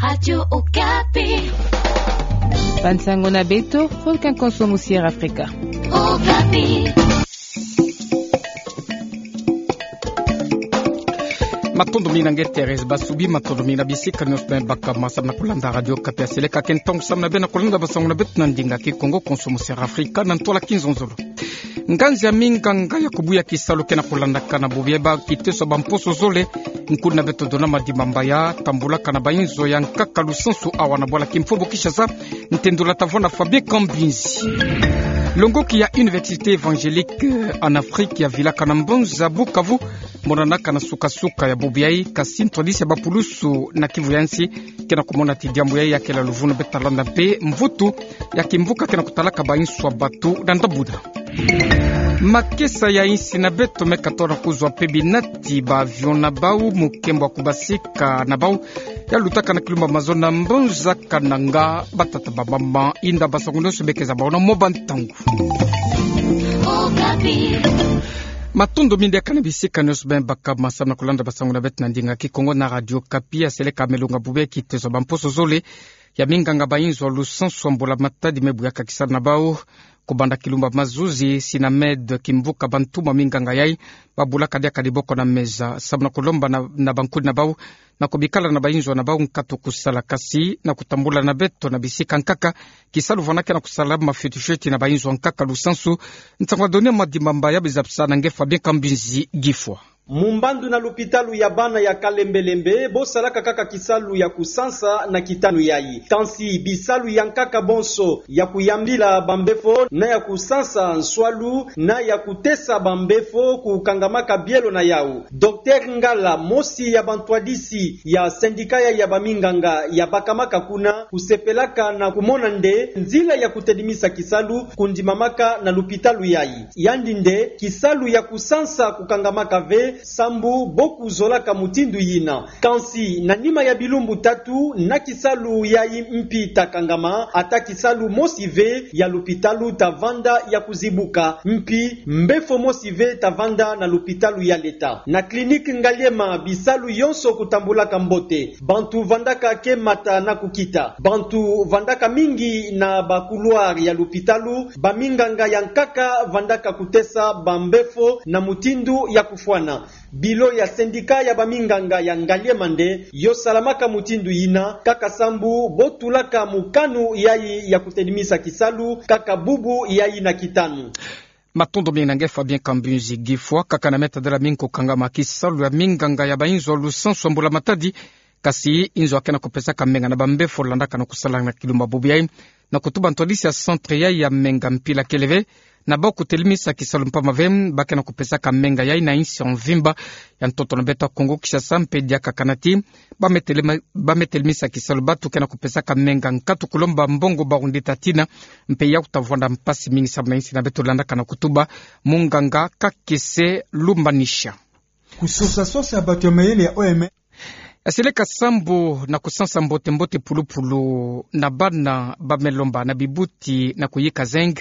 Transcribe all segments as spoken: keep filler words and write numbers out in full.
Radio Okapi. Ba nsangu na beto, Volcan Konso Musier Africa. Okapi. Matondo mingi na nge Thérèse Basubi, matondo mingi na bisika nionso beno baka ma samu na kulanda Radio Okapi. Seleka ke ntangu samu na beno na kulanda ba nsangu na beto na ndinga Kikongo, Konso Musier Africa, na ntwala kinzonzolo. Nganzi ya minganga ya kubuya kisalu ke na kulandaka na bubu ya ba kiteso ba mposo zole, nkuna beto Donama Dimambaya, tambulaka na ba inzo ya nkaka lusansu awa na bwala kimfumu Kinshasa, ntendula tavwanda Fabien Kambinzi. Longoki ya Université Évangélique en Afrique ya vilaka na mbanza Bukavu, monanaka na suka-suka ya bubu yayi, kasi ntwadisi ya ba pulusu na Kivu ya nsi ke na kumona ti diambu yayi ya kela luvunu. Beta landa mpe mvutu ya kimvuka ke na kutalaka ba inswa batu na ndabuna. Makesa ya insi na beto meka tona kuzwa mpe binati ba avion na bau, mukembo wa kubasika na bau ya lutaka na kilumba mazono na mbanza Kananga. Batata, bamama, inda, ba nsangu nionso beke za bau na mo ba ntangu. Matondo mingi na bisika nionso beno baka ma samu na kulanda ba nsangu na beto na ndinga Kikongo na Radio Okapi. Seleka me lunga bubu ya kiteso ba mposo zole ya minganga ba inzo lusansu ya mbula matadi me buyaka kisalu na bau kubanda kilumba mazuzi. Sinamed Kimvuka, bantu ma minganga yayi babulaka diaka diboko na meza samu na kulomba na, na bankudi na bau na kubikala na ba inzo na bau nkatu kusala, kasi na kutambula na beto na bisika nkaka, kisalu vwanda ke na kusala mafioti-fioti na ba inzo nkaka lusansu. Nsangu ya Donama Dimambaya, bizabisa na nge Fabien Kambinzi Gifwa. Mumbandu na lupitalu ya bana ya Kalembelembe, bo salaka kaka kisalu ya kusansa na kitanu yayi. Kansi bisalu ya nkaka bonso, ya kuyambila ba mbefo, na ya kusansa nswalu, na ya kutesa ba mbefo kukangamaka bielo na yau. Docteur Ngala, mosi ya bantwadisi ya syndicat ya, ya ba minganga ya bakamaka kuna, kusepelaka na kumona nde nzila ya kutedimisa kisalu kundimamaka na lupitalu yayi. Yandi nde kisalu ya kusansa kukangamaka ve, sambu bo kuzolaka mutindu yina. Kansi na nima ya bilumbu tatu na kisalu yayi mpi ta kangama, ata kisalu mosi ve ya lupitalu ta vanda ya kuzibuka, mpi mbefo mosi ve ta vanda na lupitalu ya leta. Na clinique Ngaliema, bisalu yonso kutambulaka mbote. Bantu vandaka ke mata na kukita. Bantu vandaka mingi na ba couloir ya lupitalu, ba minganga ya nkaka vandaka kutesa ba mbefo na mutindu ya kufwana. Bilo ya syndicat ya ba minganga ya Ngaliema nde yo salamaka mutindu yina, kaka sambu bo tulaka mukanu yayi ya kutedimisa kisalu kaka bubu yayi na kitanu. Matondo mingi na nge Fabien Kambinzi Gifwa. Kaka na meta dela mingi kukangama kisalu ya minganga ya ba inzo lusansu ya mbula matadi, kasi inzo ya ke na kupesaka menga na ba mbefo landaka na kusala na kilumba bubu yayi, na kutuba ntwadisi ya centre yayi ya menga mpila kele ve, na bau kutelimisa kisalu mpamba ve, ba ke na kupesaka menga yayi na insi ya mvimba ya ntoto na beto ya Kongo Kinshasa, mpe diaka kana ti ba me telema-, ba me telimisa kisalu batu ke na kupesaka menga nkatu kulomba mbongo ba rundita tina, mpe ya kuta vwanda mpasi mingi samu na insi na beto, landaka na kutuba munganga Kakese Lumbanisha. Kusosa-sosa ya bato ya mayele ya O M S. Aseleka sambu na kusansa mbote-mbote pulupulu na bana ba me lomba na bibuti na kuyika zinc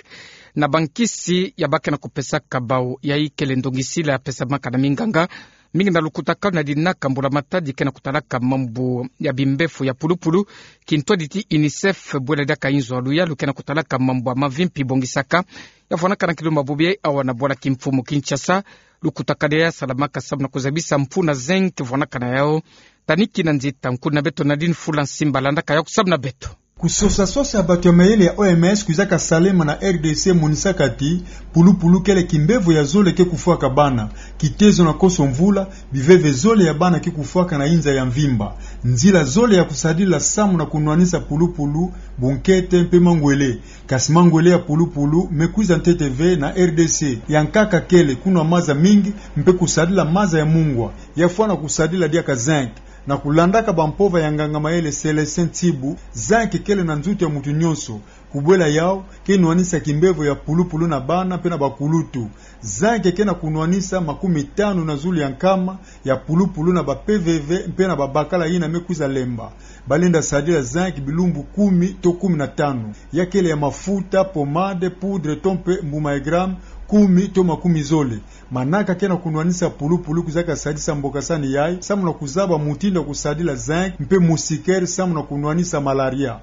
na bankisi ya ba ke na kupesaka bau, yayi kele ndongisila ya pesamaka na minganga mingi na lukutakanu na dinaka mbula matadi ke na kutalaka mambu ya bimbefo ya pulupulu, kintwadi ti UNICEF, bwela diaka inzo ya luyalu ke na kutalaka mambu ya mavi mpi bongisaka, ya vwanaka na kilumba bubu yayi awa na bwala kimfumu Kinshasa. Lukutakanu ya salamaka samu na kuzabisa mfunu ya zinc vwanaka na yau. Tani kina nzita, nkulu na beto Nadine Fula Nsimba landaka yau samu na beto. Kusosa-sosa ya bato ya mayele ya O M S kwizaka salema na R D C monisaka ti pulupulu kele kimbevo ya zole ke kufwaka bana, kitezo na konso mvula, biveve zole ya bana ke kufwaka na inza ya mvimba. Nzila zole ya kusadila samu na kunwanisa pulupulu, bunkete mpe mangwele. Kasi mangwele ya pulupulu me kwiza ntete ve na R D C. Ya nkaka kele kunwa maza mingi, mpe kusadila maza ya mungwa. Ya fwana kusadila diaka zinc. Na kulandaka bampova ya nganga mayele Célestin Ntsibu, zinc kele na nzutu ya muntu nyonso. Kubwela yau, ke nwanisa kimbevo ya pulupulu na bana mpe na bakulutu. Zinc ke na kunwanisa makumi tanu na zulu ya nkama ya pulupulu na ba P V V mpe na babakala yina me kwiza lemba. Balenda sadila zinc bilumbu kumi to kumi na tanu. Ya kele ya mafuta, pommade, poudre to mpe mbuma ya gramme, kumi to makumi zole. Manaka ke na kunwanisa pulupulu kwizaka sadisa mboka sani yayi, samu na kuzaba mutindu ya kusadila zinc mpe moustiquaire samu na kunwanisa malaria.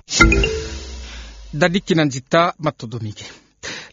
Dadi kina nzita matondo mingi.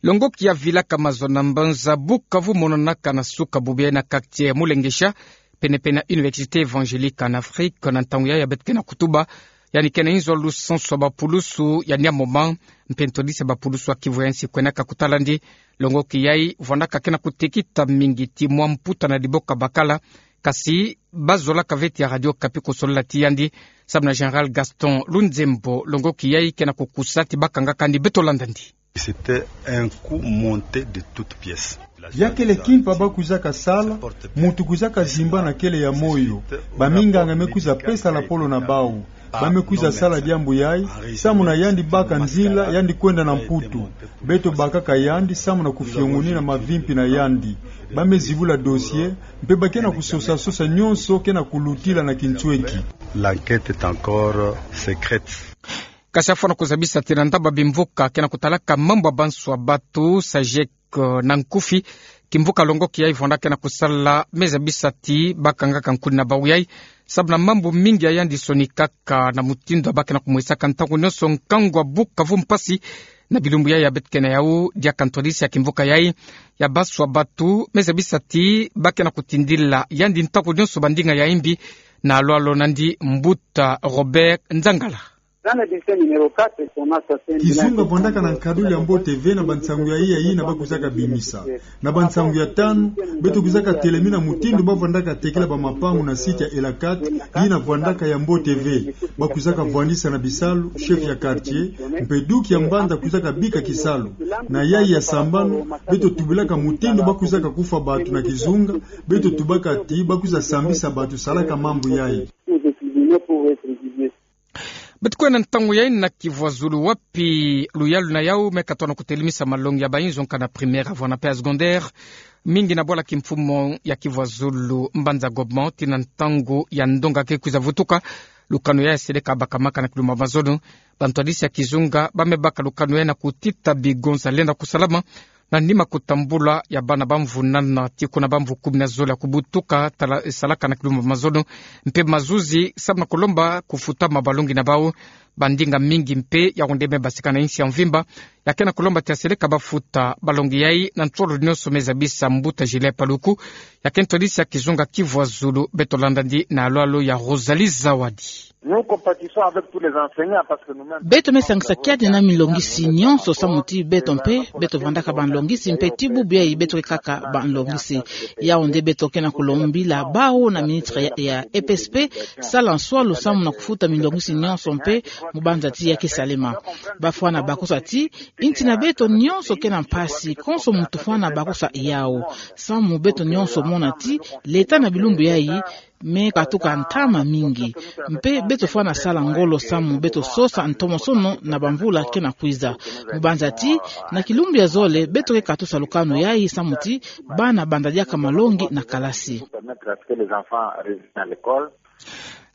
Longoki ya vila ka mazono na mbanza Bukavu mononaka na suka bubu yayi na quartier ya Mulengesha, penepene na Université Évangélique en Afrique, na ntangu yayi ya beto ke na kutuba, yandi ke na inzo lusansu ya bapulusu ya Niamoma, mpe ntwadisi ya bapulusu ya Kivu ya nsi kwenaka kutala yandi. Longoki yayi vwandaka ke na kutekita mingi ti mwa mputa na liboka bakala, kasi bazolaka ve ti ya Radio Okapi kusolila ti yandi, samu na Général Gaston Lunzembo, longoki yayi ke na kukusa ti bakangaka yandi. Beto landa yandi. C'était un coup monté de toutes pièces. Ya kele kimpa ba kwizaka sala, muntu kwizaka zimbana kele ya moyo. Baminganga me kwiza pesa lapolo na bawu. Ba me kwiza sala diambu yayi, samu na yandi baka nzila, yandi kwenda na Mputu. Beto bakaka yandi, samu na kufiongonina mavimpi na yandi. Ba me zibula dossier, mpe ba ke na kusosa-sosa nyonso ke na kulutila na kinsweki. L'enquête est encore secrète. Kasi afwana kuzabisa ti na ndaba bimvuka ke na kutalaka mambu ya banswa batu, SAGEC, eh, na nkufi, kimvuka longoki yayi vwanda ke na kusala me zabisa ti bakangaka nkuni na bawu yayi, samu na mambu mingi ya yandi sonikaka na mutindu ya ba ke na kumwesaka ntangu nyonso nkangu ya Bukavu mpasi. Na bilumbu yayi ya beto ke na yawu, diaka ntwadisi ya kimvuka yayi ya banswa batu me zabisa ti ba ke na kutindila yandi ntangu nyonso bandinga ya imbi, na alwalo na yandi Mbuta Robert Nzangala. Kizunga vwandaka na nkaduli ya mbote ve na bansangu yayi, yayi yina ba kwizaka bimisa. Na bansangu ya tanu, beto kwizaka telemina mutindu ba vwandaka tekila bamapangu na site ya Elakat, yina vwandaka ya mbote ve. Ba kwizaka vwandisa na bisalu, chef ya quartier, mpe duki ya mbanza kwizaka bika kisalu. Na yayi ya sambanu, beto tubilaka mutindu ba kwizaka kufa batu na kizunga, beto tubaka ti ba kwiza sambisa batu salaka mambu yayi. Beto kwenda ntangu yayi na Kivu ya Zulu, wapi luyalu na yawu me katuka na kutelemisa malongi ya bayinzo nkanda primaire, avwana mpe ya secondaire mingi na bwala kimfumu ya Kivu ya Zulu, Mbanza Gobement, tii na ntangu ya ndonga ke kwiza vutuka. Lukanu yayi ya seleka bakamaka na kilumbu ya mazono. Bantwadisi ya kizunga ba me baka lukanu yayi na kutita bigonza lenda kusalama na nima kutambula ya bana ba mvu nana tii kuna ba mvu kumi na zole ya kubutuka tala-, salaka na kilumbu ya mazono, mpe mazuzi samu na kulomba kufutama balongi na bawu. Bandinga mingi mpe ya onde me basika na insi ya mvimba ya ke na kulomba ti ya seleka ba futa balongi yayi na nsolo nyonso, me zabisa Mbuta Julien Paluku, ya ke ntwadisi ya kizunga Kivu ya Zulu. Beto landa yandi na alwalo ya Rosalie Zawadi. Nous compatissons avec tous les enseignants parce que nous-mêmes... Beto me sangisa kiadi na milongisi nyonso samu ti beto mpe, beto vandaka banlongisi mpe tii bubu yayi beto ke kaka banlongisi. Yawu nde beto ke na kulombila bawu na ministre ya, ya E P S P, sala nswalu samu na kufuta milongisi nyonso mpe mu banza ti ya ke salema. Ba fwana bakusa ti, insi na beto nyonso ke na mpasi, konso muntu fwana bakusa yawu. Samu beto nyonso mona ti, leta na bilumbu yayi, me katuka ntama mingi. Mpe beto fwana sala ngolo samu beto sosa ntomosono na bamvula ke na kwiza. Mu banza ti, na kilumbu ya zole, beto ke katusa lukanu yayi samu ti, bana banda diaka malongi na kalasi.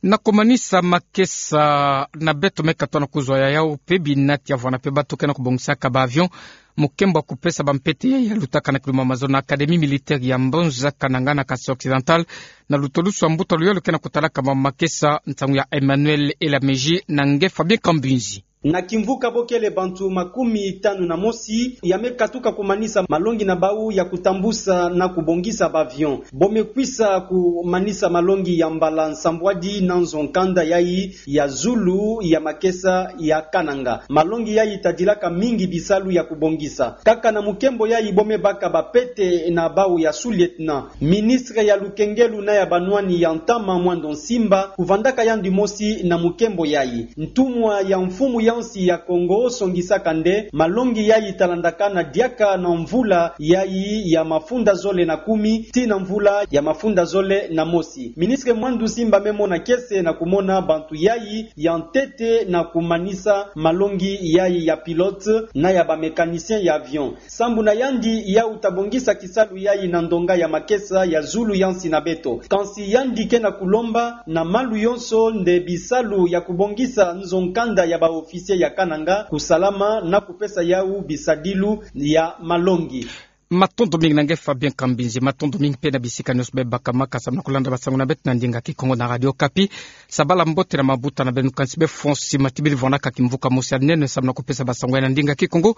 Na kumanisa makesa na beto me katuka na kuzwa ya yawu mpe bina ti ya vwana mpe bato ke na kubongisaka ba avion. Mukembo wa kupesa bampete yayi ya lutaka na kilumbu ya mazono na Académie militaire ya Mbanza Kananga na Kasai Occidental, na lutulusu ya mbuta luyalu ke na kutalaka ma makesa, nsangu ya Emmanuel Elameji na nge Fabien Kambinzi. Na kimvuka bo kele bantu makumi tanu na mosi ya me katuka kumanisa malongi na bawu ya kutambusa na kubongisa ba avion. Bo me kwisa kumanisa malongi ya mbala nsambwadi na nzo nkanda yayi ya zulu ya makesa ya Kananga. Malongi yayi tadilaka mingi bisalu ya kubongisa. Kaka na mukembo yayi bo me baka bapete na bawu ya sous-lieutenant. Ministre ya lukengelu na ya banwani ya ntama Mwando Nsimba kuvandaka yandi mosi na mukembo yayi. Ntumwa ya mfumu ya nsi ya Kongo songisaka nde malongi yayi talandaka na diaka na mvula yayi ya mafunda zole na kumi tii na mvula ya mafunda zole na mosi. Ministre Mwando Nsimba me mona kiese na kumona bantu yayi ya ntete na kumanisa malongi yayi ya pilote na ya ba mécanicien ya avion. Sambu na yandi yawu ta bongisa kisalu yayi na ndonga ya makesa ya zulu ya nsi na beto. Kansi yandi ke na kulomba na malu yonso nde bisalu ya kubongisa nzo nkanda ya ba officier ya Kananga kusalama na kupesa yawu bisadilu ya malongi. Matondo mingi na nge Fabien Kambinzi, matondo mingi pe na bisika nioso bebaka maka samu na kulanda basango na beto na ndinga Kikongo na Radio Okapi. Sabala mbote na mabuta na beno, kansi be Fonsi Matibili vwanaka kimvuka mosi ya nene samu na kupesa basango ya na ndinga Kikongo.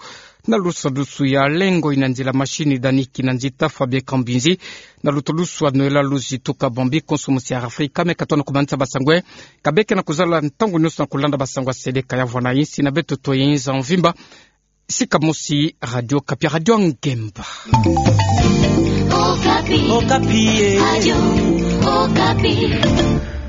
Na lusadusu ya lengo ina nzila mashini Dani Kinanzita, Fabien Kambinzi. Na lutulusu ya Noëlla Luzi Tuka Bambi, konso mosi ya Afrika, me katona kumanisa basango. Ka beke na kuzala ntangu nioso na kulanda basango ya seleka ya vwana insi na beto to inza mvimba. Sika mosi Radio Okapi, Radio Ngemba. Okapi. Okapi, eh. Radio Okapi.